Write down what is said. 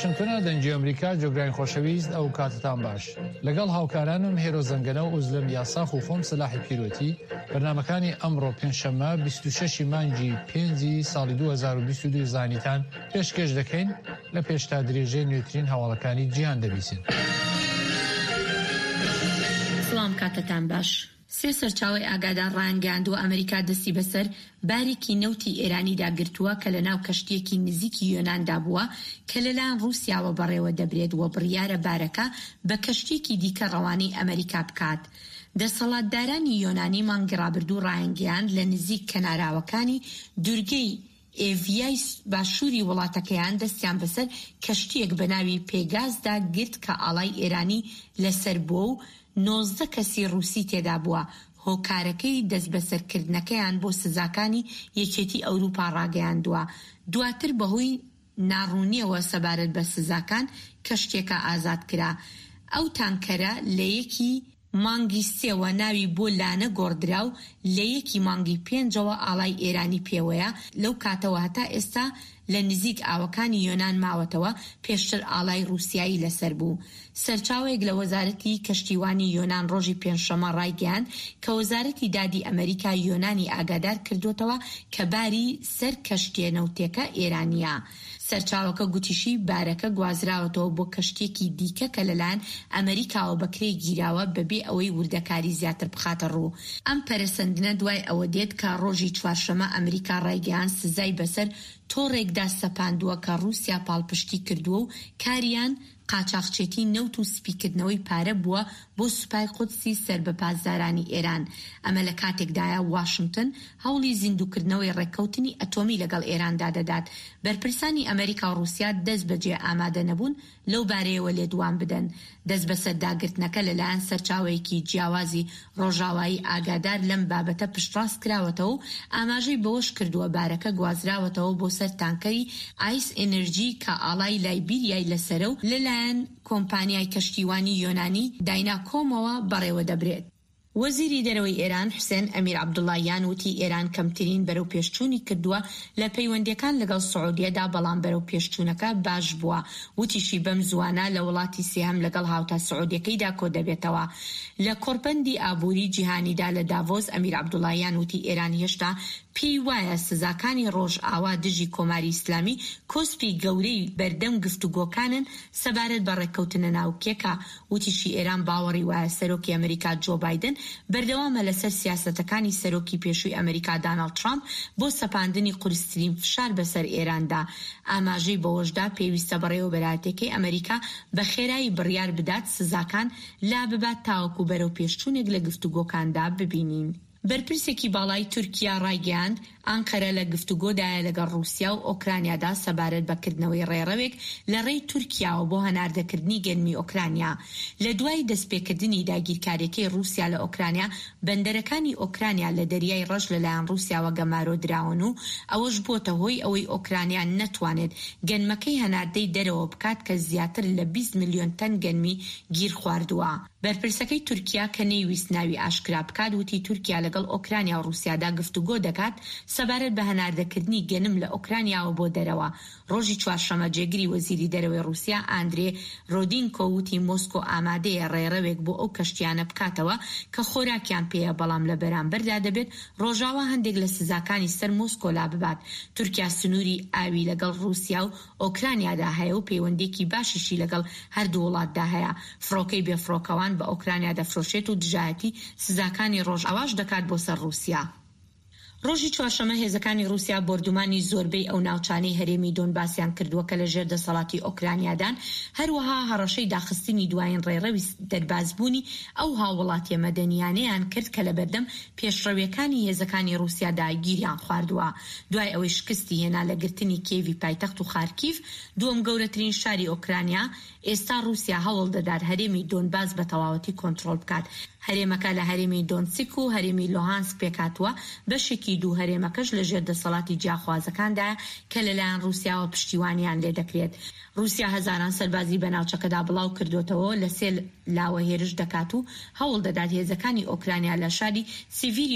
واشنتۆنە دەنگی ئەمریکا جۆگرانی خۆشەویست ئەو کاتتان باش لەگەڵ هاوکارانم هێرۆ زەنگەنە و ئوزلم یاساخ و خۆم سەلاحی پیرۆتی بەرنمەکانی ئەمڕۆ پێنجشەممە 26 مانگی پێنجی ساڵی 2022 زانیتان پێشکێش دەکەین لە پێشتا درێژەی نوێترین هەواڵەکانی جیهان دەبیسن. سڵام کاتتان باش. سێ سەرچاوەی ئاگادار ڕایانگەیاندووە ئەمریکا دەستی بەسەر بارێکی نەوتی ئێرانیدا گرتووە کە لەناو کەشتییەکی نزیکی یۆناندا بووە کە لەلایەن ڕووسیاوە بەڕێوە دەبرێت و بڕیارە بارەکە بە کەشتییەکی دیکە ڕەوانەی ئەمریکا بکات. دەسەڵاتدارانی یۆنانی مانگی ڕابردوو ڕایانگەیاند لە نزیک کەناراوەکانی دورگەی ئێڤیای باشووری وڵاتەکەیان دەستیان بەسەر کەشتییەک بە ناوی پێگازدا گرت کە ئاڵای ئێرانی لەسەر بووە و 19 کەسی ڕووسی تێدا بووە، هۆکارەکەی دەستبەسەرکردنەکەیان بۆ سزاکانی یەکێتی ئەوروپا ڕاگەیاندووە، دواتر بەهۆی ناڕوونییەوە سەبارەت بە سزاکان کەشتییەکە ئازاد کرا. ئەو تانکەرە لە یەکی. مانگی سێوە ناوی بۆ لانە گۆڕدرا و لە یەکی مانگی پێنجەوە ئاڵای ئێرانی پێوەیە، لەو کاتەوە هەتا ئێستا لە نزیک ئاوەکانی یۆنان ماوەتەوە، پێشتر ئاڵای ڕووسیایی لەسەر بوو. سەرچاوەیەک لە وەزارەتی کەشتیوانی یۆنان ڕۆژی پێنجشەممە ڕایگەیاند کە وەزارەتی دادی ئەمەریکا یۆنانی ئاگادار کردووەتەوە کە باری سەر کەشتییە نەوتێکە ئێرانییە. سەرچاوەکە گوتیشی، بارەکە گوازراوەتەوە بۆ کەشتییەکی دیکە کە لەلایەن ئەمەریکاوە بە کرێ گیراوە بەبێ ئەوەی وردەکاری زیاتر بخاتە ڕوو. ئەم پەرەسەندنە دوای ئەوە دێت کە ڕۆژی چوارشەممە ئەمریکا ڕایگەیاند سزای بەسەر تۆڕێکدا سەپاندووە کە ڕووسیا پاڵپشتی کردووە و کاریان قاچاخچێتی نەوت و سپیکردنەوەی پارە بووە بۆ سوپای قودسی سەر بە پاسدارانی ئێران. ئەمە لە کاتێکدایە واشنتن هەوڵی زیندووکردنەوەی ڕێککەوتنی ئەتۆمی لەگەڵ ئێراندا دەدات. بەرپرسانی ئەمەریکا و ڕووسیا دەستبەجێ ئامادە نەبوون لەو بارەیەوە لێدوان بدەن. دەستبەسەرداگرتنەکە لەلایەن سەرچاوەیەکی جیاوازی ڕۆژاوایی ئاگادار لەم بابەتە پشتڕاست کراوەتەوە و ئاماژەی بەوەش کردووە، بارەکە گوازراوەتەوە بۆ سەر تانکەری ئایس ئێنێرجی کە ئاڵای لایبیریای لەسەرە و لەلایەن کۆمپانیای کەشتیوانی یۆنانی دایناکۆمەوە بەڕێوەدەبرێت. وەزیری دەرەوەی ئێران حوسێن ئەمیر عەبدوڵاهیان وتی ئێران کەمترین بەرەوپێشچوونی کردووە لە پەیوەندییەکان لەگەڵ سعودیەدا بەڵام بەرەوپێشچوونەکە باش بووە وتیشی بەم زووانە لە وڵاتی سێهەم لەگەڵ هاوتا سعودیەکەیدا کۆدەبێتەوە لە کۆڕبەندی ئابووری جیهانیدا لە داڤۆس ئەمیر عەبدوڵاهیان وتی ئێران هێشتا پێی وایە سزاکانی ڕۆژئاوا دژی کۆماری ئیسلامی کۆسپی گەورەی بەردەم گفتوگۆکانن سەبارەت بە ڕێککەوتنە ناوکیەکە وتیشی ئێران باوەڕی وایە سەرۆکی ئەمریکا جۆ بایدن بەردەوامە لەسەر سیاسەتەکانی سەرۆکی پێشووی ئەمریکا داناڵد ترامپ بۆ سەپاندنی قورسترین فشار بەسەر ئێراندا. ئاماژەی بەوەشدا پێویستە بەڕێوەبەرایەتیەکەی ئەمریکا بە خێرایی بڕیار بدات سزاکان لاببات تاوەکو بەرەوپێشچوونێک لە گفتوگۆکاندا ببینین. بەرپرسێکی باڵای تورکیا ڕایگەیاند، ئانقەرە لە گفتوگۆدایە لەگەڵ ڕووسیا و ئۆکرانیادا سەبارەت بە کردنەوەی ڕێڕەوێک لە ڕێی تورکیاوە بۆ هەناردەکردنی گەنمی ئۆکرانیا. لە دوای دەستپێکردنی داگیرکارییەکەی ڕووسیا لە ئۆکرانیا، بەندەرەکانی ئۆکرانیا لە دەریای ڕەش لەلایەن ڕووسیاوە گەمارۆ دراون و ئەوەش بووەتە هۆی ئەوەی ئۆکرانیا نەتوانێت گەنمەکەی هەناردەی دەرەوە بکات کە زیاتر لە 20 ملیۆن تەن گەنمی گیرخواردووە. بەرپرسەکەی تورکیا کە نەیویست ناوی ئاشکرا بکات وتی تورکیا لەگەڵ ئۆکرانیا و ڕووسیادا گفتوگۆ دەکات سەبارەت بە هەناردەکردنی گەنم لە ئۆکرانیاوە بۆ دەرەوە. ڕۆژی چوارشەممە جێگری وەزیری دەرەوەی ڕووسیا ئاندرێ رۆدینکۆ وتی مۆسکۆ ئامادەیە ڕێڕەوێک بۆ ئەو کەشتیانە بکاتەوە کە خۆراکیان پێیە بەڵام لە بەرامبەردا دەبێت ڕۆژاوا هەندێک لە سزاکانی سەر مۆسکۆ لاببات. تورکیا سنووری ئاوی لەگەڵ ڕووسیا و ئۆکرانیادا هەیە و پەیوەندییەکی باشیشی لەگەڵ هەردوو وڵاتدا هەیە، فڕۆکەی بێفڕۆکەوان بە ئۆکرانیا دەفرۆشێت و دژایەتی سزاکانی ڕۆژئاواش دەکات بۆ سەر ڕووسیا. ڕۆژی چوارشەممە هێزەکانی ڕووسیا بۆردومانی زۆربەی ئەو ناوچانەی هەرێمی دۆنباسیان کردووە کە لەژێر دەسەڵاتی ئۆکرانیادان، هەروەها هەڕەشەی داخستنی دوایین ڕێڕەوی دەربازبوونی ئەو هاووڵاتییە مەدەنییانەیان کرد کە لەبەردەم پێشڕەوییەکانی هێزەکانی ڕووسیادا گیریان خواردووە. دوای ئەوەی شکستی هێنا لە گرتنی کیێڤی پایتەخت و خارکیڤ، دووەم گەورەترین شاری ئۆکرانیا، ئێستا ڕووسیا هەوڵ دەدات هەرێمی دۆنباس بە تەواوەتی کۆنترۆڵ بکات. هەرێمەکە لە هەرێمی دۆنتسک و هەرێمی لوهانسک پێکهاتووە، بەشێکی دوو هەرێمەکەش لەژێر دەسەڵاتی جیاخوازەکاندایە کە لەلایەن ڕووسیاوە پشتیوانیان لێدەکرێت. ڕووسیا هەزاران سەربازی بە ناوچەکەدا بڵاو کردووەتەوە لە سێ لاوە هێرش دەکات و هەوڵ دەدات هێزەکانی ئۆکرانیا لە شاری سیڤیریۆ.